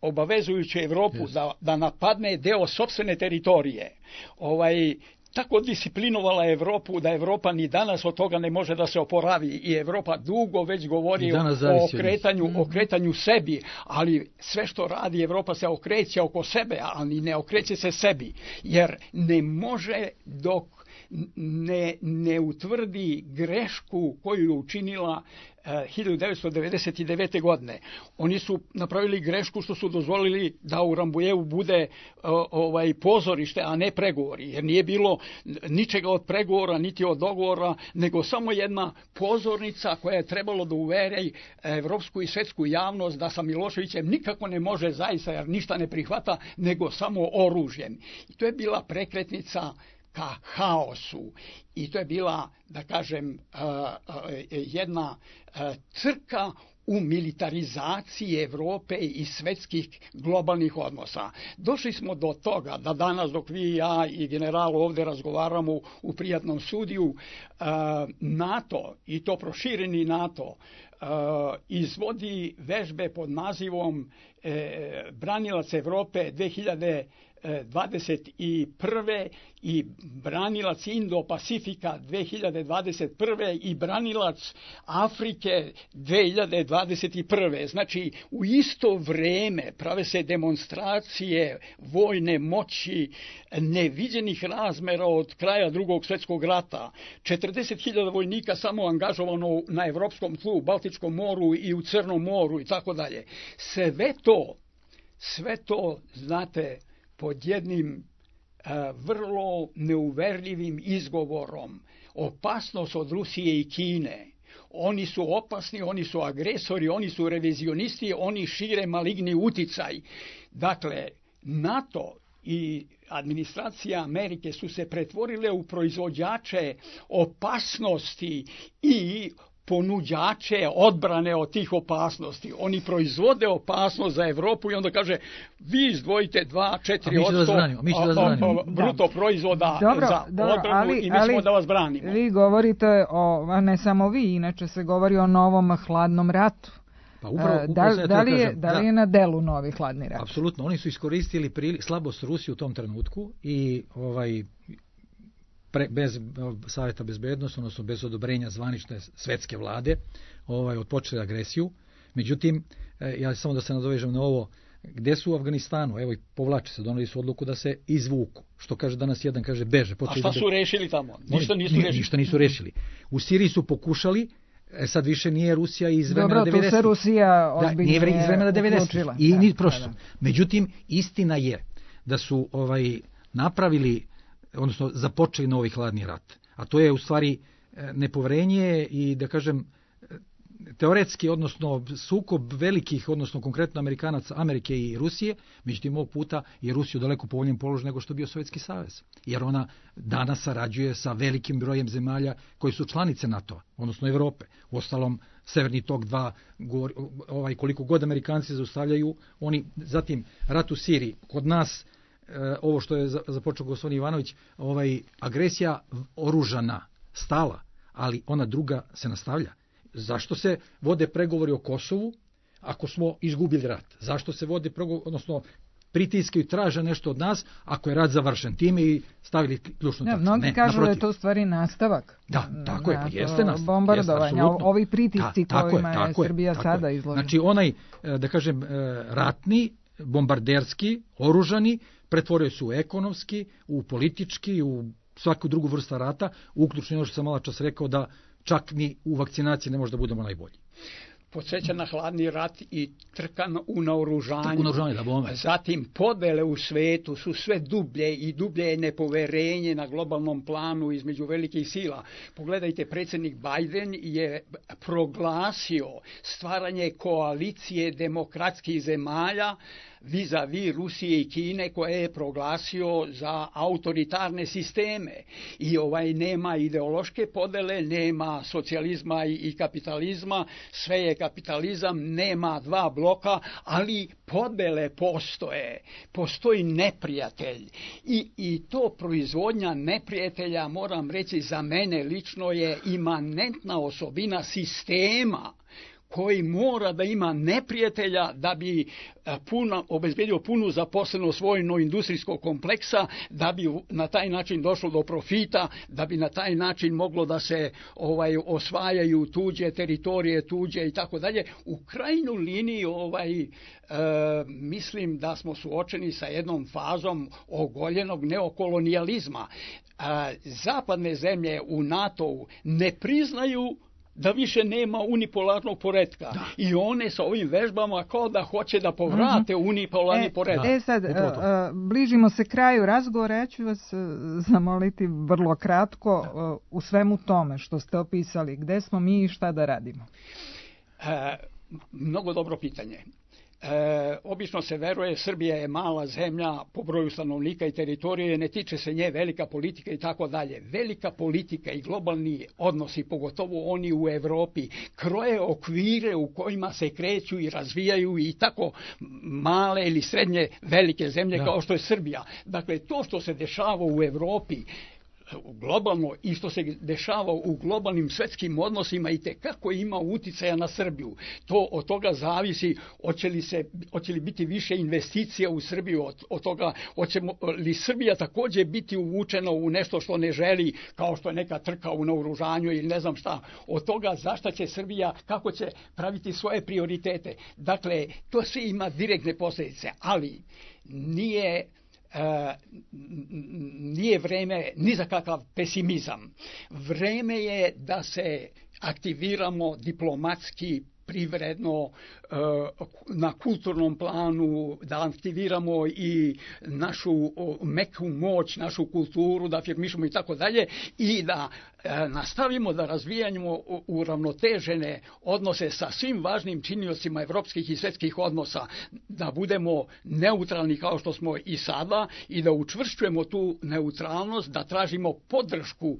obavezujući Evropu da napadne deo sopstvene teritorije, tako disciplinovala Evropu da Evropa ni danas od toga ne može da se oporavi i Evropa dugo već govori o okretanju sebi, ali sve što radi Evropa se okreće oko sebe, ali ne okreće se sebi, jer ne može dok ne utvrdi grešku koju je učinila 1999. godine. Oni su napravili grešku što su dozvolili da u Rambujevu bude pozorište, a ne pregovori, jer nije bilo ničega od pregovora, niti od dogovora, nego samo jedna pozornica koja je trebalo da uveri evropsku i svetsku javnost da sa Miloševićem nikako ne može zaista, jer ništa ne prihvata, nego samo oružjem. I to je bila prekretnica ka haosu. I to je bila, da kažem, jedna trka u militarizaciji Evrope i svetskih globalnih odnosa. Došli smo do toga da danas, dok vi, ja i general ovde razgovaramo u prijatnom studiju, NATO, i to prošireni NATO, izvodi vežbe pod nazivom Branilac Evrope 2021. i branilac Indo-Pacifika 2021. i branilac Afrike 2021. Znači, u isto vreme prave se demonstracije vojne moći neviđenih razmera od kraja Drugog svjetskog rata. 40.000 vojnika samo angažovano na evropskom tlu, u Baltičkom moru i u Crnom moru i tako dalje. Sve to, znate, pod jednim vrlo neuverljivim izgovorom, opasnost od Rusije i Kine. Oni su opasni, oni su agresori, oni su revizionisti, oni šire maligni uticaj. Dakle, NATO i administracija Amerike su se pretvorile u proizvođače opasnosti i ponuđače odbrane od tih opasnosti. Oni proizvode opasnost za Evropu i onda kaže, vi izdvojite 2-4% bruto proizvoda za odbranu i mi ćemo da vas branimo. Vi govorite o, ne samo vi, inače se govori o novom hladnom ratu. Pa upravo da li je na delu novi hladni rat? Apsolutno, oni su iskoristili slabost Rusije u tom trenutku i bez Savjeta bezbednosti, odnosno bez odobrenja zvanične svetske vlade, odpočeli agresiju. Međutim, ja samo da se nadovežem na ovo, gde su u Afganistanu, evo i povlače se, doneli su odluku da se izvuku. Što kaže danas jedan, kaže beže. A šta su rešili tamo? Ništa nisu rešili. U Siriji su pokušali, sad više nije Rusija iz vremena 90. Dobro, tu se Rusija ozbiljnije iz vremena 90. I ni prošlo. Međutim, istina je da su napravili, odnosno započeli novi hladni rat. A to je u stvari nepoverenje i, da kažem, teoretski, odnosno sukob velikih, odnosno konkretno Amerikanaca, Amerike i Rusije. Međutim, ovog puta je Rusija u daleko povoljnijem položaju nego što je bio Sovjetski savez. Jer ona danas sarađuje sa velikim brojem zemalja koji su članice NATO-a, odnosno Evrope. Uostalom, Severni tok 2, koliko god Amerikanci zaustavljaju, oni, zatim rat u Siriji, kod nas, ovo što je započeo gospodin Ivanović, agresija oružana, stala, ali ona druga se nastavlja. Zašto se vode pregovori o Kosovu ako smo izgubili rat? Zašto se vode pregovori, odnosno pritiskaju, traže nešto od nas ako je rat završen? Time i stavili ključnu tačku. Mnogi kažu da je to u stvari nastavak. Da, tako je, pa jeste nastavak. Bombardovanja, ovi pritisci kojima je Srbija sada izložena. Znači onaj, da kažem, ratni, bombarderski, oružani, pretvorio se u ekonomski, u politički, u svaku drugu vrstu rata, uključno ono što sam malo čas rekao da čak ni u vakcinaciji ne može da budemo najbolji. Podsjeća na hladni rat i trka u naoružanju. Da, zatim podele u svetu su sve dublje i dublje je nepoverenje na globalnom planu između velikih sila. Pogledajte, predsjednik Biden je proglasio stvaranje koalicije demokratskih zemalja vis-a-vis Rusije i Kine, koje je proglasio za autoritarne sisteme. I nema ideološke podele, nema socijalizma i kapitalizma, sve je kapitalizam, nema dva bloka, ali podele postoje. Postoji neprijatelj. I to proizvodnja neprijatelja, moram reći, za mene lično je imanentna osobina sistema koji mora da ima neprijatelja da bi obezbedio punu zaposlenost vojno-industrijskog kompleksa, da bi na taj način došlo do profita, da bi na taj način moglo da se osvajaju tuđe teritorije, tuđe i tako dalje. U krajnjoj liniji mislim da smo suočeni sa jednom fazom ogoljenog neokolonijalizma. Zapadne zemlje u NATO-u ne priznaju da više nema unipolarnog poretka. Da. I one sa ovim vežbama kao da hoće da povrate unipolarni poredak. Sad, bližimo se kraju razgovora. Ja ću vas zamoliti vrlo kratko u svemu tome što ste opisali. Gde smo mi i šta da radimo? Mnogo dobro pitanje. Obično se veruje, Srbija je mala zemlja po broju stanovnika i teritorije, ne tiče se nje velika politika i tako dalje. Velika politika i globalni odnosi, pogotovo oni u Evropi, kroje okvire u kojima se kreću i razvijaju i tako male ili srednje velike zemlje kao što je Srbija. Dakle, to što se dešava u Evropi globalno i što se dešava u globalnim svetskim odnosima i tekako ima uticaja na Srbiju. To od toga zavisi hoće li biti više investicija u Srbiju, od toga hoće li Srbija također biti uvučena u nešto što ne želi, kao što je neka trka u naoružanju ili ne znam šta. Od toga zašta će Srbija, kako će praviti svoje prioritete. Dakle, to sve ima direktne posljedice, ali nije vreme ni za kakav pesimizam. Vreme je da se aktiviramo diplomatski, privredno, na kulturnom planu, da aktiviramo i našu meku moć, našu kulturu, da afirmišemo i tako dalje i da nastavimo da razvijamo uravnotežene odnose sa svim važnim činiocima evropskih i svjetskih odnosa, da budemo neutralni kao što smo i sada i da učvršćujemo tu neutralnost, da tražimo podršku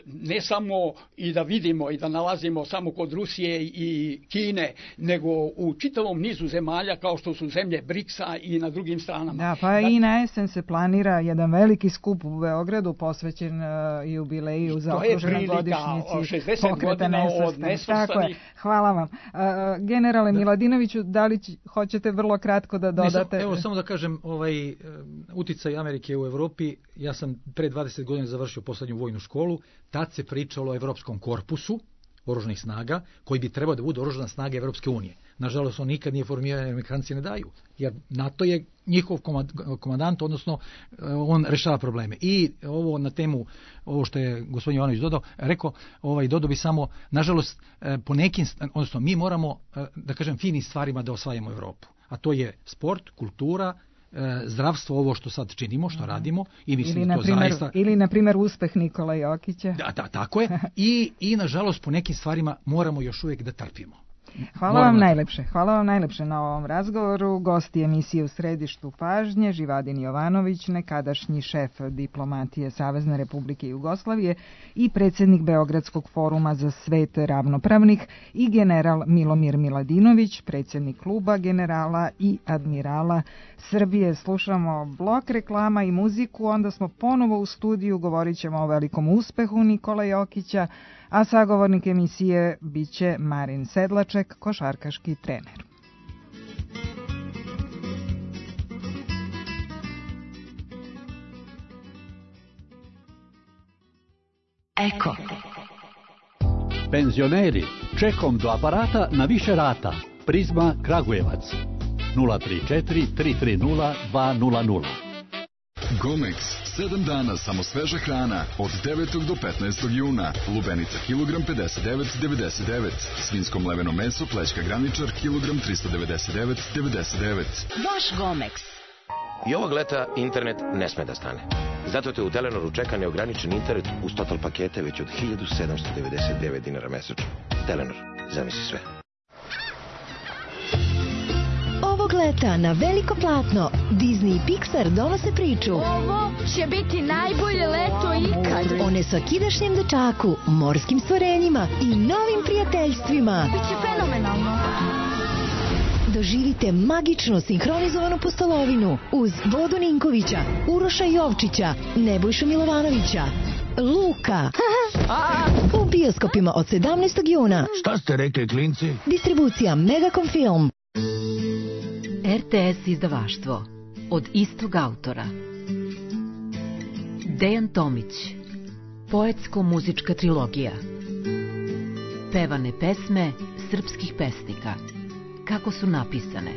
ne samo i da vidimo i da nalazimo samo kod Rusije i Kine, nego u čitavom nizu zemalja kao što su zemlje BRICS-a i na drugim stranama. Da, pa i na jesen se planira jedan veliki skup u Beogradu posvećen jubileju za okruženoj godišnjici pokreta nesvrstanih. Hvala vam. Generale Miladinoviću, da li hoćete vrlo kratko da dodate? Evo samo da kažem, uticaj Amerike u Evropi, ja sam pre 20 godina završio poslednju vojnu školu, tad se pričalo o Evropskom korpusu oružanih snaga, koji bi trebao da bude oružana snaga Evropske unije. Nažalost, on nikad nije formiran, Amerikanci ne daju, jer NATO je njihov komandant, odnosno on rešava probleme. I ovo na temu, ovo što je gospodin Jovanović dodao bi samo, nažalost, po nekim, odnosno mi moramo, da kažem, finim stvarima da osvajamo Evropu. A to je sport, kultura, zdravstvo, ovo što sad činimo, što radimo i mislim da to zaista... Ili, na primjer, uspeh Nikola Jokića. Da, tako je. I, nažalost, po nekim stvarima moramo još uvijek da trpimo. Hvala vam najlepše na ovom razgovoru. Gosti emisije U središtu pažnje, Živadin Jovanović, nekadašnji šef diplomatije Savezne Republike Jugoslavije i predsjednik Beogradskog foruma za svet ravnopravnih, i general Milomir Miladinović, predsjednik kluba generala i admirala Srbije. Slušamo blok reklama i muziku, onda smo ponovo u studiju, govorit ćemo o velikom uspehu Nikola Jokića, a sagovornik emisije biće Marin Sedlaček, košarkaški trener. Eko. Penzioneri, čekom do aparata na više rata. Prizma Kragujevac. 034 330 200. Gomex, 7 dana samo sveža hrana, od 9. do 15. juna. Lubenica kilogram 59,99. Svinsko mleveno meso, plećka graničar, kilogram 399,99. Vaš Gomex. I ovog leta internet ne sme da stane. Zato te u Telenoru čeka neograničen internet uz total pakete već od 1799 dinara mesečno. Telenor, zamisli sve. Ovog leta na veliko platno Disney i Pixar donose priču. Ovo će biti najbolje leto ikad. O nesvakidašnjem dečaku, morskim stvorenjima i novim prijateljstvima. Biće fenomenalno. Doživite magično sinhronizovanu pustolovinu uz Vodu Ninkovića, Uroša Jovčića, Nebojšu Milovanovića, Luka. U bioskopima od 17. juna. Šta ste rekli, klinci? Distribucija Megacom Film. RTS izdavaštvo od istog autora. Dejan Tomić. Poetsko-muzička trilogija. Pevane pesme srpskih pesnika. Kako su napisane.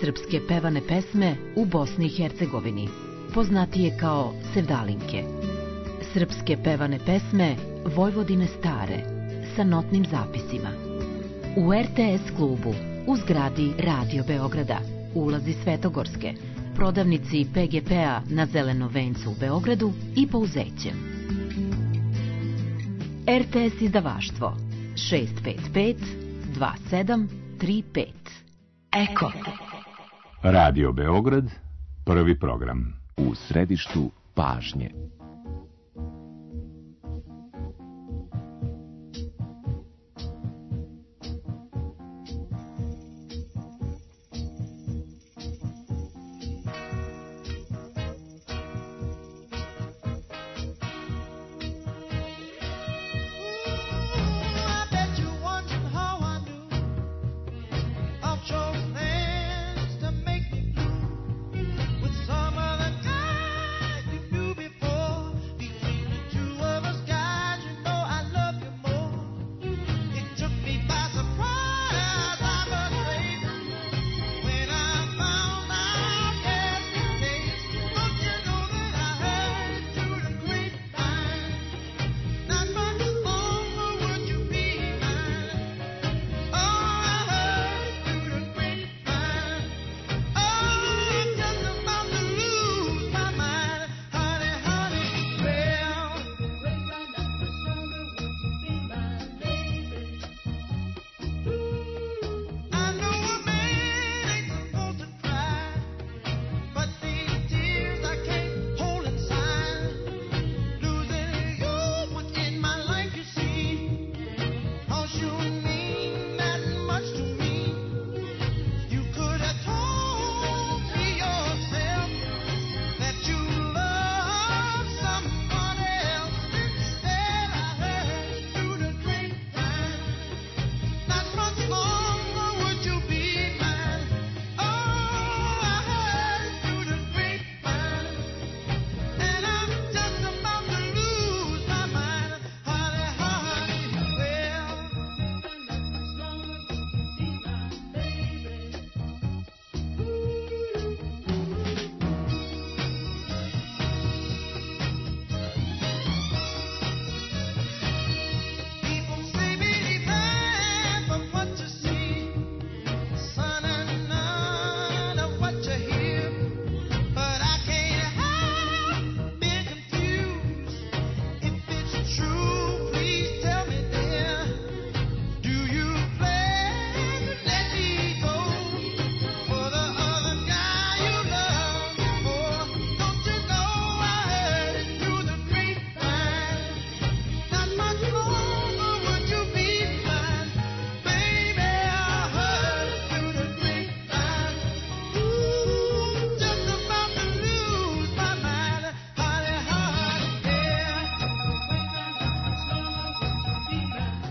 Srpske pevane pesme u Bosni i Hercegovini, poznatije kao sevdalinke. Srpske pevane pesme Vojvodine stare, sa notnim zapisima. U RTS klubu, u zgradi Radio Beograda, ulazi Svetogorske, prodavnici PGP-a na Zelenom vencu u Beogradu i Pouzećem. RTS izdavaštvo 655 2735. Eko. Radio Beograd, prvi program. U središtu pažnje.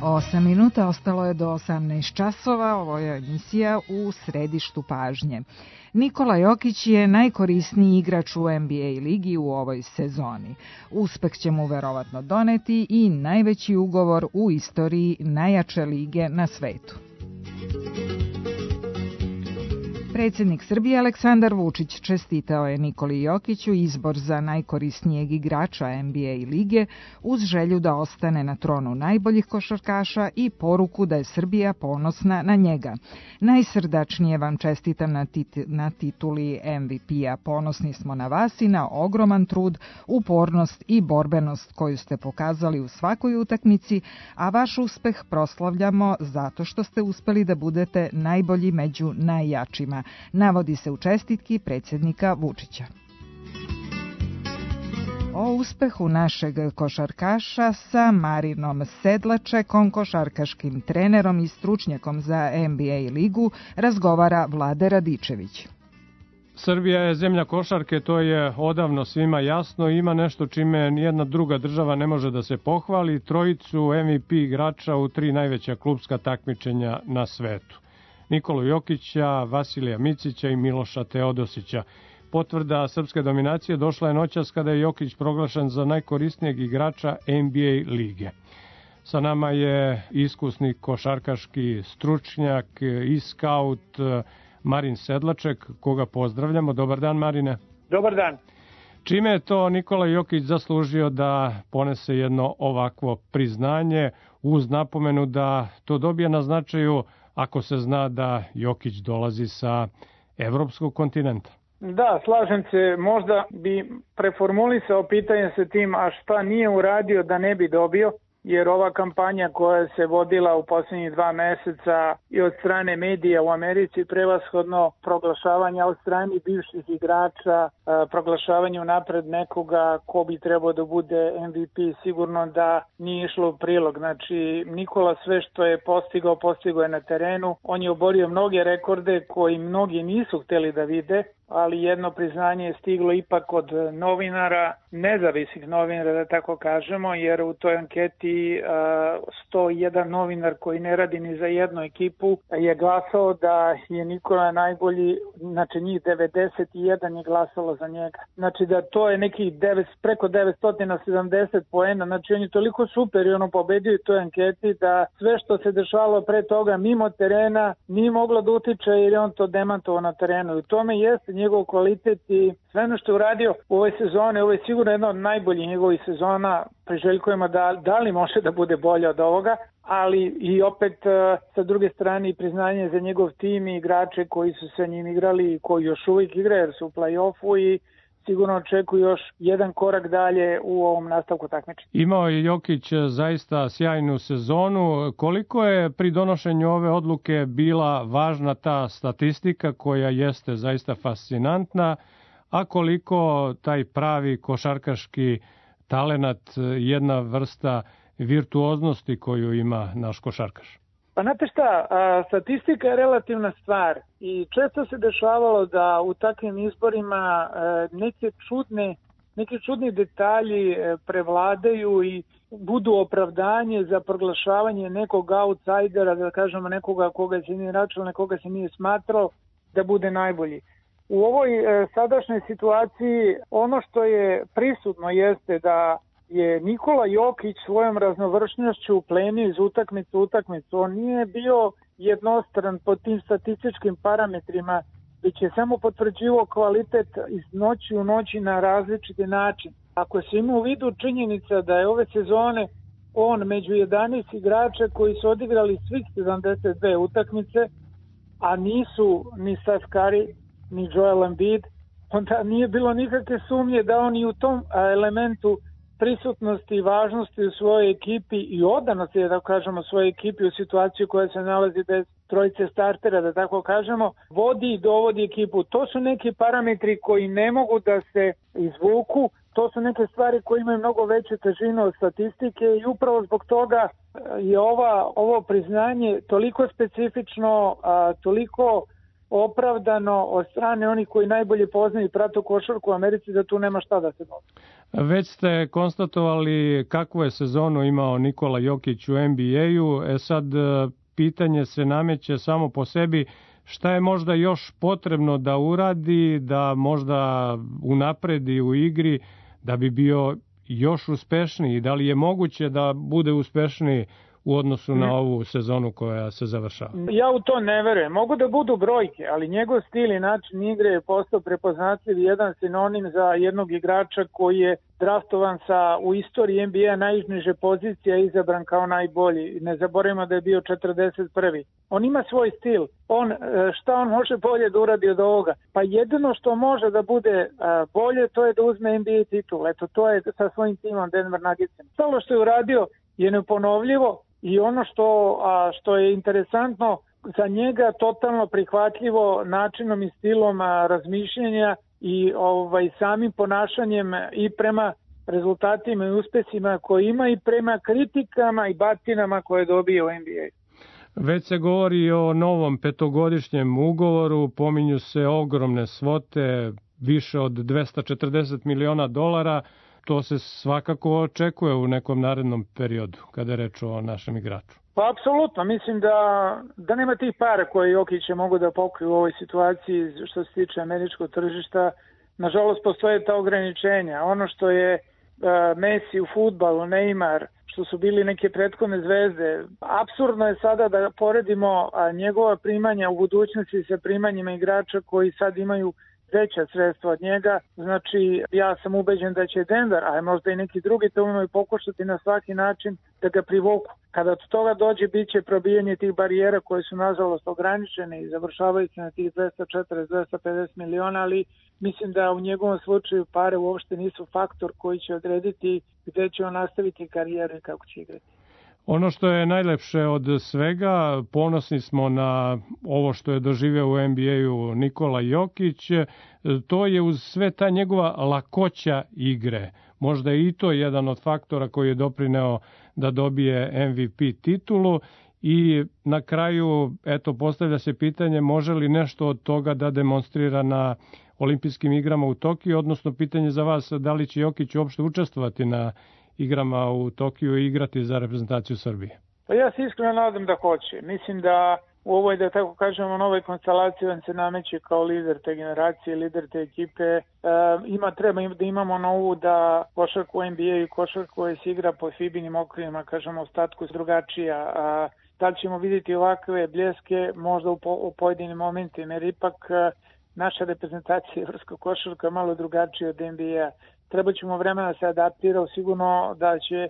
Osam minuta, ostalo je do 18 časova, ovo je emisija U središtu pažnje. Nikola Jokić je najkorisniji igrač u NBA ligi u ovoj sezoni. Uspeh će mu verovatno doneti i najveći ugovor u istoriji najjače lige na svetu. Predsjednik Srbije Aleksandar Vučić čestitao je Nikoli Jokiću izbor za najkorisnijeg igrača NBA lige uz želju da ostane na tronu najboljih košarkaša i poruku da je Srbija ponosna na njega. Najsrdačnije vam čestitam na tituli MVP-a. Ponosni smo na vas i na ogroman trud, upornost i borbenost koju ste pokazali u svakoj utakmici, a vaš uspeh proslavljamo zato što ste uspeli da budete najbolji među najjačima, navodi se u čestitki predsjednika Vučića. O uspehu našeg košarkaša sa Marinom Sedlačekom, košarkaškim trenerom i stručnjakom za NBA ligu, razgovara Vlade Radičević. Srbija je zemlja košarke, to je odavno svima jasno. Ima nešto čime nijedna druga država ne može da se pohvali, trojicu MVP igrača u 3 najveća klupska takmičenja na svetu. Nikolu Jokića, Vasilija Micića i Miloša Teodosića. Potvrda srpske dominacije došla je noćas kada je Jokić proglašen za najkorisnijeg igrača NBA lige. Sa nama je iskusni košarkaški stručnjak i skaut Marin Sedlaček, koga pozdravljamo. Dobar dan, Marine. Dobar dan. Čime je to Nikola Jokić zaslužio da ponese jedno ovakvo priznanje, uz napomenu da to dobije na značaju ako se zna da Jokić dolazi sa evropskog kontinenta? Da, slažem se, možda bi preformulisao pitanje sa tim, a šta nije uradio da ne bi dobio. jer ova kampanja koja se vodila u posljednjih 2 meseca i od strane medija u Americi, prevashodno proglašavanja od strane bivših igrača, proglašavanje unapred nekoga ko bi trebao da bude MVP, sigurno da nije išlo u prilog. Znači, Nikola sve što je postigao je na terenu. On je oborio mnoge rekorde koji mnogi nisu hteli da vide, ali jedno priznanje je stiglo ipak od novinara, nezavisnih novinara, da tako kažemo, jer u toj anketi 101 novinar koji ne radi ni za jednu ekipu je glasao da je Nikola najbolji, znači njih 91 je glasalo za njega. Znači da to je nekih preko 970 poena, znači on je toliko superiorno pobedio u toj anketi da sve što se dešavalo pre toga mimo terena nije moglo da utiče jer je on to demantovao na terenu. I u tome jeste njegov kvalitet i sve ono što je uradio u ovoj sezoni, ovo je sigurno jedna od najboljih njegovih sezona, priželjkujemo da li može da bude bolje od ovoga, ali i opet sa druge strane i priznanje za njegov tim i igrače koji su sa njim igrali i koji još uvijek igraju jer su u play-offu i sigurno očekuju još jedan korak dalje u ovom nastavku takmičenja. Imao je Jokić zaista sjajnu sezonu. Koliko je pri donošenju ove odluke bila važna ta statistika koja jeste zaista fascinantna, a koliko taj pravi košarkaški talenat, jedna vrsta virtuoznosti koju ima naš košarkaš? Pa znate šta, statistika je relativna stvar i često se dešavalo da u takvim izborima neki čudni detalji prevladaju i budu opravdanje za proglašavanje nekog outsidera, da kažemo nekoga koga se nije računalo, nekoga se nije smatrao da bude najbolji. U ovoj sadašnjoj situaciji ono što je prisutno jeste da je Nikola Jokić svojom raznovršnošću plenio iz utakmice u utakmicu. On nije bio jednostran po tim statističkim parametrima, već je samo potvrđivao kvalitet iz noći u noći na različiti način. Ako se ima u vidu činjenica da je ove sezone on među 11 igrača koji su odigrali svih 72 utakmice, a nisu ni Steph Curry, ni Joel Embiid, onda nije bilo nikakve sumnje da on i u tom elementu prisutnosti i važnosti u svojoj ekipi i odanosti, da tako kažemo, svojoj ekipi u situaciju koja se nalazi bez trojice startera, da tako kažemo, vodi i dovodi ekipu. To su neki parametri koji ne mogu da se izvuku, to su neke stvari koje imaju mnogo veću težinu od statistike i upravo zbog toga je ovo priznanje toliko specifično, toliko opravdano od strane onih koji najbolje poznaju i prate košarku u Americi, da tu nema šta da se doda. Već ste konstatovali kakvu je sezonu imao Nikola Jokić u NBA-u. Sad pitanje se nameće samo po sebi, šta je možda još potrebno da uradi, da možda unapredi u igri, da bi bio još uspešniji? Da li je moguće da bude uspešniji u odnosu na ovu sezonu koja se završava? Ja u to ne verujem. Mogu da budu brojke, ali njegov stil i način igre je postao prepoznatljiv, jedan sinonim za jednog igrača koji je draftovan u istoriji NBA najniže pozicije, izabran kao najbolji. Ne zaboravimo da je bio 41. On ima svoj stil. Šta on može bolje da uradi od ovoga? Pa jedino što može da bude bolje, to je da uzme NBA titul. Eto, to je sa svojim timom Denver Nuggetsima. Stalo što je uradio je neponovljivo i ono što je interesantno za njega totalno prihvatljivo načinom i stilom razmišljenja i samim ponašanjem i prema rezultatima i uspesima koje ima i prema kritikama i batinama koje dobije u NBA. Već se govori o novom 5-godišnjem ugovoru, pominju se ogromne svote, više od $240 miliona. To se svakako očekuje u nekom narednom periodu, kada je reč o našem igraču. Pa apsolutno, mislim da nema tih para koje Jokić mogu da pokriju u ovoj situaciji što se tiče američkog tržišta. Nažalost, postoje ta ograničenja. Ono što je Messi u fudbalu, Neymar, što su bili neke prethodne zvezde. Apsurdno je sada da poredimo njegova primanja u budućnosti sa primanjima igrača koji sad imaju veća sredstva od njega. Znači, ja sam ubeđen da će Denver, a možda i neki drugi timovi pokušati na svaki način da ga privuku. Kada od toga dođe, bit će probijanje tih barijera koje su nažalost ograničene i završavaju se na tih 240-250 miliona, ali mislim da u njegovom slučaju pare uopšte nisu faktor koji će odrediti gde će on nastaviti karijeru i kako će igrati. Ono što je najlepše od svega, ponosni smo na ovo što je doživeo u NBA-u Nikola Jokić, to je uz sve ta njegova lakoća igre. Možda je i to jedan od faktora koji je doprineo da dobije MVP titulu i na kraju, eto, postavlja se pitanje može li nešto od toga da demonstrira na olimpijskim igrama u Tokiju, odnosno pitanje za vas da li će Jokić uopšte učestvovati na igrama u Tokiju i igrati za reprezentaciju Srbije? Pa ja se iskreno nadam da hoće. Mislim da u ovoj, da tako kažemo, novoj konstelaciji on se nameće kao lider te generacije, lider te ekipe. Treba da imamo novu da košarka u NBA i košarka koja se igra po FIBA-inim okvirima, kažemo, ostatku drugačija. Da li ćemo vidjeti ovakve bljeske možda u pojedinim momentima, jer ipak naša reprezentacija evropska košarka je malo drugačija od NBA. Treba ćemo vremena da se adaptira, sigurno da će,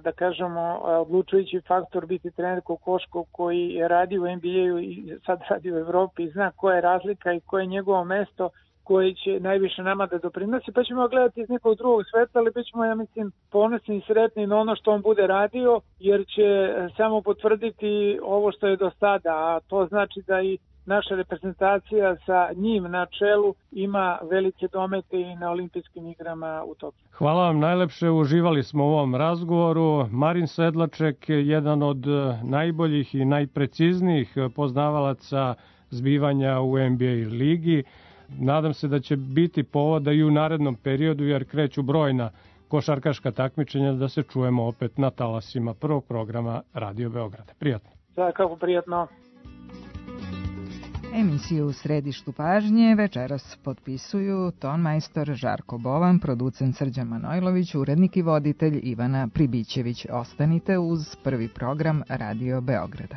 da kažemo, odlučujući faktor biti trener Kokoškov koji je radio u NBA-u i sad radi u Evropi i zna koja je razlika i koje je njegovo mesto koji će najviše nama da doprinosi, pa ćemo gledati iz nekog drugog sveta, ali bit ćemo, ja mislim, ponosni i sretni na ono što on bude radio, jer će samo potvrditi ovo što je do sada, a to znači da i naša reprezentacija sa njim na čelu ima velike domete i na olimpijskim igrama u Tokiju. Hvala vam najlepše, uživali smo u ovom razgovoru. Marin Sedlaček, jedan od najboljih i najpreciznijih poznavalaca zbivanja u NBA ligi. Nadam se da će biti povoda i u narednom periodu, jer kreću brojna košarkaška takmičenja, da se čujemo opet na talasima prvog programa Radio Beograda. Prijatno. Kako prijatno. Emisiju u središtu pažnje večeras potpisuju tonmajstor Žarko Bovan, producent Srđan Manojlović, urednik i voditelj Ivana Pribićević. Ostanite uz prvi program Radio Beograda.